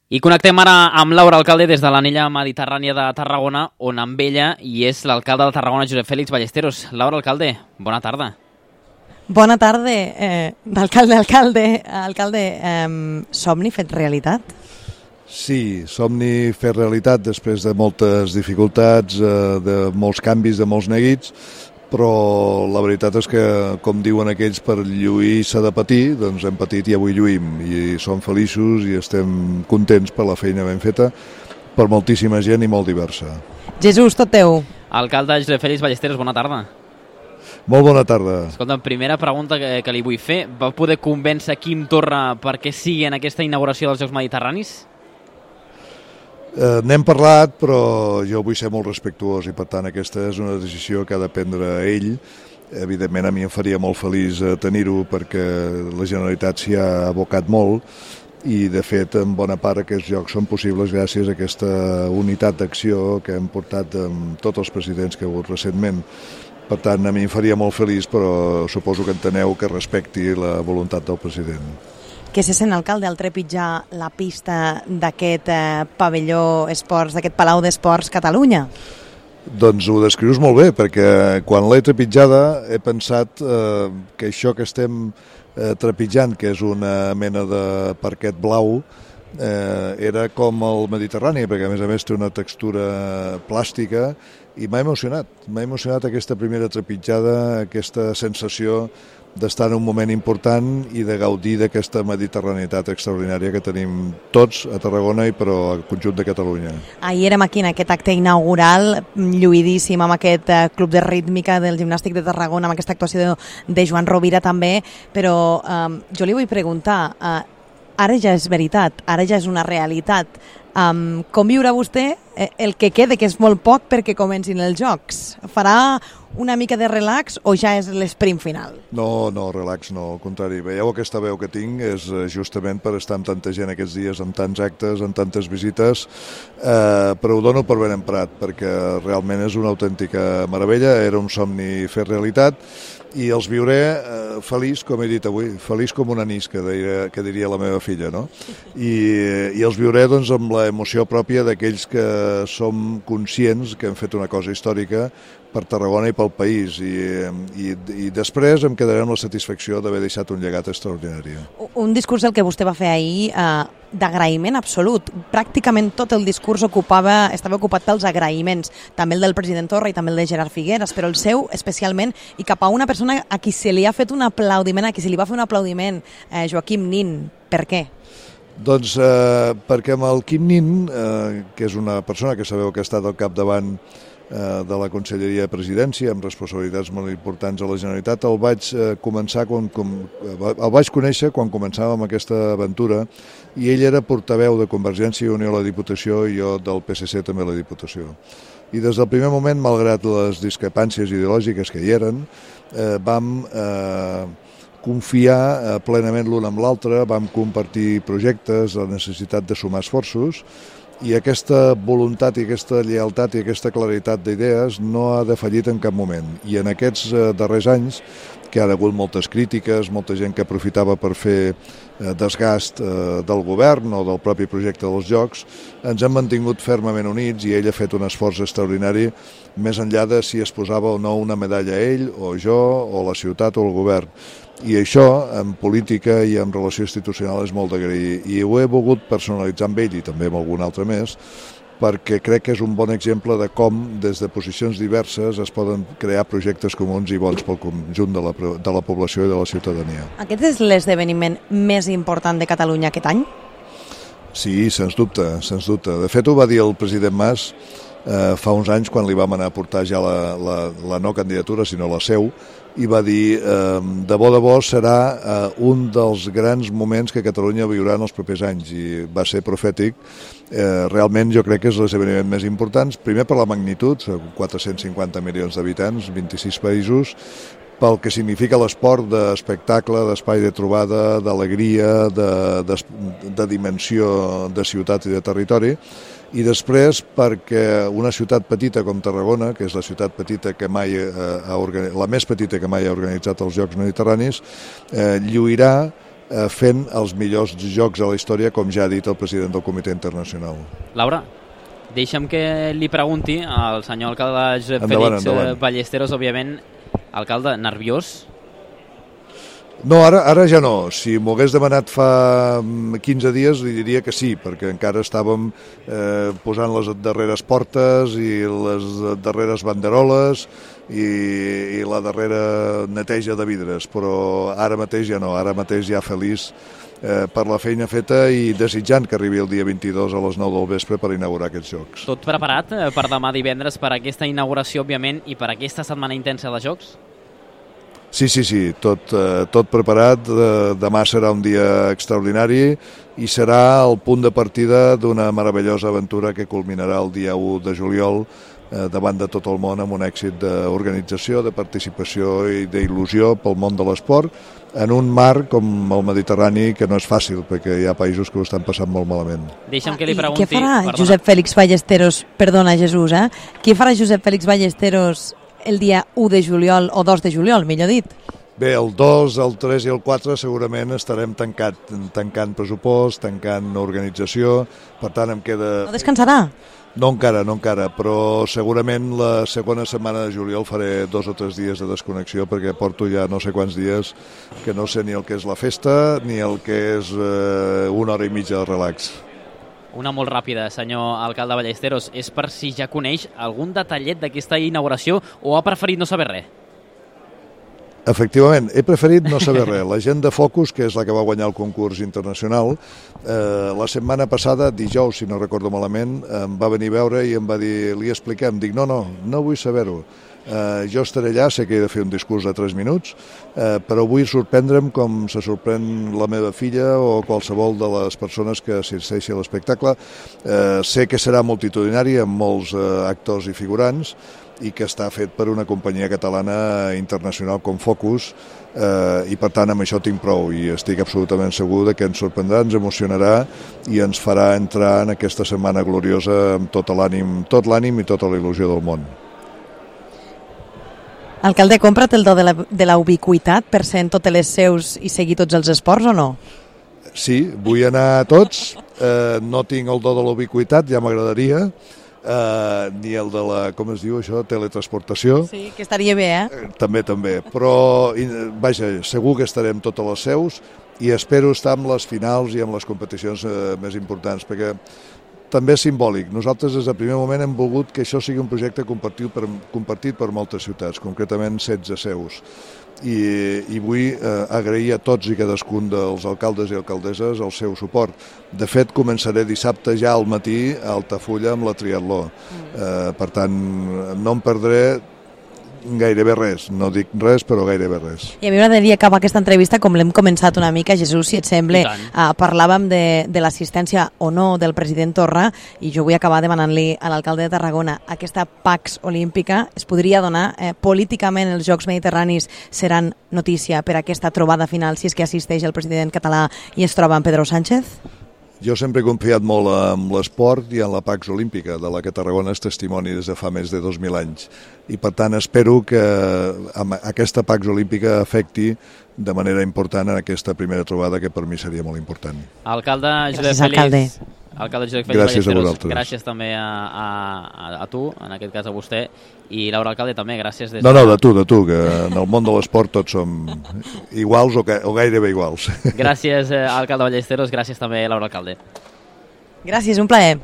I connectem ara amb Laura Alcalde des de l'anella mediterrània de Tarragona, on amb ella hi és l'alcalde de Tarragona, Josep Fèlix Ballesteros. Laura Alcalde, bona tarda. Bona tarda, alcalde, somni fet realitat? Sí, somni fet realitat després de moltes dificultats, de molts canvis, de molts neguits, però la veritat és que, com diuen aquells, per lluir s'ha de patir, doncs hem patit i avui lluïm, i som feliços i estem contents per la feina ben feta, per moltíssima gent i molt diversa. Jesús, tot teu. Alcalde Josep Fèlix Ballesteros, bona tarda. Molt bona tarda. Escolta, primera pregunta que li vull fer. Va poder convèncer Quim Torra perquè sigui en aquesta inauguració dels Jocs Mediterranis? N'hem parlat, però jo vull ser molt respectuós i, per tant, aquesta és una decisió que ha de prendre ell. Evidentment, a mi em faria molt feliç tenir-ho perquè la Generalitat s'hi ha abocat molt i, de fet, en bona part aquests jocs són possibles gràcies a aquesta unitat d'acció que hem portat amb tots els presidents que hi ha hagut recentment. Per tant, a mi em faria molt feliç, però suposo que enteneu que respecti la voluntat del president. Què se sent, alcalde, al trepitjar la pista d'aquest pavelló esports, d'aquest Palau d'Esports Catalunya? Doncs ho descrius molt bé, perquè quan l'he trepitjada he pensat que això que estem trepitjant, que és una mena de parquet blau, era com el Mediterrani, perquè a més té una textura plàstica, i m'ha emocionat aquesta primera trepitjada, aquesta sensació d'estar en un moment important i de gaudir d'aquesta mediterranitat extraordinària que tenim tots a Tarragona i però al conjunt de Catalunya. Ahir érem aquí en aquest acte inaugural, lluïdíssim, amb aquest club de rítmica del Gimnàstic de Tarragona, amb aquesta actuació de Joan Rovira també, però jo li vull preguntar, ara ja és veritat, ara ja és una realitat, com viurà vostè el que quede, que és molt poc perquè comencin els Jocs? Farà una mica de relax o ja és l'esprint final? No, relax no, al contrari. Veieu, aquesta veu que tinc és justament per estar amb tanta gent aquests dies, amb tants actes, amb tantes visites, però ho dono per ben emprat, perquè realment és una autèntica meravella, era un somni fer realitat, i els viuré feliç, com he dit avui, feliç com un anís, que diria la meva filla, no? I els viuré doncs, amb l'emoció pròpia d'aquells que som conscients que hem fet una cosa històrica per Tarragona i pel país, i després em quedaré amb la satisfacció d'haver deixat un llegat extraordinari. Un discurs el que vostè va fer ahir d'agraïment absolut. Pràcticament tot el discurs estava ocupat pels agraïments, també el del president Torra i també el de Gerard Figueras, però el seu especialment, i cap a una persona a qui se li ha fet un aplaudiment, a qui se li va fer un aplaudiment, Joaquim Nin. Per què? Doncs perquè amb el Quim Nin, que és una persona que sabeu que ha estat al capdavant de la Conselleria de Presidència amb responsabilitats molt importants a la Generalitat, el vaig conèixer quan començàvem aquesta aventura i ell era portaveu de Convergència i Unió a la Diputació i jo del PSC també a la Diputació. I des del primer moment, malgrat les discrepàncies ideològiques que hi eren, vam confiar plenament l'un amb l'altre, vam compartir projectes, la necessitat de sumar esforços, i aquesta voluntat i aquesta lleialtat i aquesta claritat d'idees no ha defallit en cap moment. I en aquests darrers anys, que ha hagut moltes crítiques, molta gent que aprofitava per fer desgast del govern o del propi projecte dels Jocs, ens hem mantingut fermament units i ell ha fet un esforç extraordinari més enllà de si es posava o no una medalla a ell, o jo, o la ciutat o el govern. I això, en política i en relació institucional, és molt d'agrair. I ho he volgut personalitzar amb ell i també amb algun altre més, perquè crec que és un bon exemple de com, des de posicions diverses, es poden crear projectes comuns i bons pel conjunt de la població i de la ciutadania. Aquest és l'esdeveniment més important de Catalunya aquest any? Sí, sens dubte, sens dubte. De fet, ho va dir el president Mas fa uns anys, quan li vam anar a portar ja la no candidatura, sinó la seu, i va dir, de bo serà un dels grans moments que Catalunya viurà en els propers anys, i va ser profètic. Realment jo crec que és l'esdeveniment més important, primer per la magnitud, 450 milions d'habitants, 26 països, pel que significa l'esport d'espectacle, d'espai de trobada, d'alegria, de dimensió de ciutat i de territori, i després perquè una ciutat petita com Tarragona, que és la ciutat petita que mai la més petita que mai ha organitzat els Jocs Mediterranis, lluirà fent els millors jocs de la història, com ja ha dit el president del Comitè Internacional. Laura, deixa'm que li pregunti al senyor alcalde Josep Félix Ballesteros, òbviament, alcalde, nerviós? No, ara ja no. Si m'ho hagués demanat fa 15 dies li diria que sí, perquè encara estàvem posant les darreres portes i les darreres banderoles i la darrera neteja de vidres, però ara mateix ja no, ara mateix ja feliç per la feina feta i desitjant que arribi el dia 22 a les 9 del vespre per inaugurar aquests Jocs. Tot preparat per demà divendres, per aquesta inauguració, òbviament, i per aquesta setmana intensa de Jocs? Sí, tot preparat. Demà serà un dia extraordinari i serà el punt de partida d'una meravellosa aventura que culminarà el dia 1 de juliol davant de tot el món amb un èxit d'organització, de participació i d'il·lusió pel món de l'esport en un mar com el Mediterrani que no és fàcil perquè hi ha països que ho estan passant molt malament. Deixa'm que li pregunti... Què farà Josep Félix Ballesteros, perdona Jesús, què farà Josep Félix Ballesteros el dia 1 de juliol o 2 de juliol, millor dit? Bé, el 2, el 3 i el 4 segurament estarem tancant pressupost, tancant organització, per tant em queda... No descansarà? No encara, però segurament la segona setmana de juliol faré 2 o 3 dies de desconnexió perquè porto ja no sé quants dies que no sé ni el que és la festa ni el que és una hora i mitja de relax. Una molt ràpida, senyor alcalde Ballesteros. És per si ja coneix algun detallet d'aquesta inauguració o ha preferit no saber res? Efectivament, he preferit no saber res. La gent de Focus, que és la que va guanyar el concurs internacional, la setmana passada, dijous, si no recordo malament, em va venir a veure i em va dir, li expliquem, dic, no vull saber-ho. Jo estaré allà, sé que he de fer un discurs de 3 minuts, però vull sorprendre'm com se sorprèn la meva filla o qualsevol de les persones que assisteixi a l'espectacle. Sé que serà multitudinari amb molts actors i figurants i que està fet per una companyia catalana internacional com Focus i per tant amb això tinc prou i estic absolutament segur que ens sorprendrà, ens emocionarà i ens farà entrar en aquesta setmana gloriosa amb tot l'ànim i tota la il·lusió del món. Alcalde, compra't el do de la ubiquitat per ser en totes les seus i seguir tots els esports o no? Sí, vull anar a tots, no tinc el do de la ubiquitat, ja m'agradaria, ni el de la, com es diu això, teletransportació. Sí, que estaria bé, També, però vaja, segur que estarem totes les seus i espero estar amb les finals i amb les competicions més importants, perquè també és simbòlic. Nosaltres des del primer moment hem volgut que això sigui un projecte compartit per moltes ciutats, concretament 16 seus. I vull agrair a tots i cadascun dels alcaldes i alcaldesses el seu suport. De fet, començaré dissabte ja al matí a Altafulla amb la triatló. Per tant, no em perdré gairebé res, no dic res, però gairebé res. I a mi m'agradaria acabar aquesta entrevista com l'hem començat una mica, Jesús, si et sembla. Parlàvem de l'assistència o no del president Torra i jo vull acabar demanant-li a l'alcalde de Tarragona aquesta Pax Olímpica es podria donar, políticament els Jocs Mediterranis seran notícia per aquesta trobada final si és que assisteix el president català i es troba amb Pedro Sánchez? Jo sempre he confiat molt en l'esport i en la Pax Olímpica, de la que Tarragona és testimoni des de fa més de 2.000 anys. I per tant espero que aquesta Pax Olímpica afecti de manera important en aquesta primera trobada que per mi seria molt important. Alcalde Josep Félix Ballesteros, gràcies també a tu, en aquest cas a vostè, i Laura Alcalde també, gràcies. No, de tu, que en el món de l'esport tots som iguals o gairebé iguals. Gràcies, alcalde Ballesteros, gràcies també, Laura Alcalde. Gràcies, un plaer.